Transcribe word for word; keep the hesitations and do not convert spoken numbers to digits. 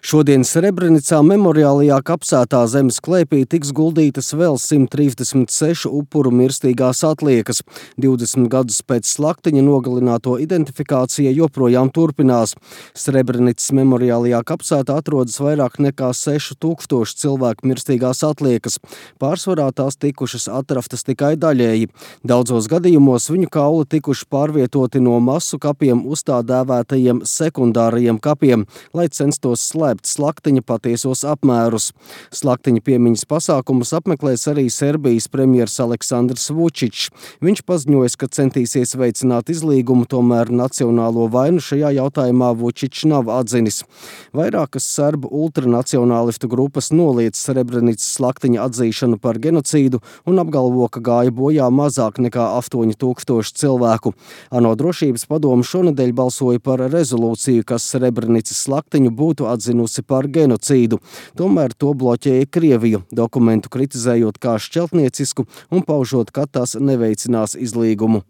Šodien Srebrenicā memoriālajā kapsētā zemes klēpī tiks guldītas vēl simt trīsdesmit sešu upuru mirstīgās atliekas. divdesmit gadus pēc slaktiņa nogalināto identifikācija joprojām turpinās. Srebrenicas memoriālajā kapsētā atrodas vairāk nekā seši tūkstoši cilvēku mirstīgās atliekas. Pārsvarā tās tikušas atrastas tikai daļēji. Daudzos gadījumos viņu kauli tikuši pārvietoti no masu kapiem uz tā dēvētajiem sekundārajiem kapiem, lai censtos slēpt slaktiņa patiesos apmērus. Slaktiņa piemiņas pasākumus apmeklēs arī Serbijas premjers Aleksandrs Vučičs. Viņš paziņoja, ka centīsies veicināt izlīgumu, tomēr nacionālo vainu šajā jautājumā Vučičs nav atzinis. Vairākas serbu ultranacionālistu grupas noliedz Srebrenicas slaktiņa atzīšanu par genocīdu un apgalvo, ka gāja bojā mazāk nekā astoņi tūkstoši cilvēku. ANO drošības padome šonedēļ balsoja par rezolūciju, kas Srebrenicas slaktiņu būtu atzinusi par genocīdu. Tomēr to bloķēja Krievija, dokumentu kritizējot kā šķeltniecisku un paužot, ka tas neveicinās izlīgumu.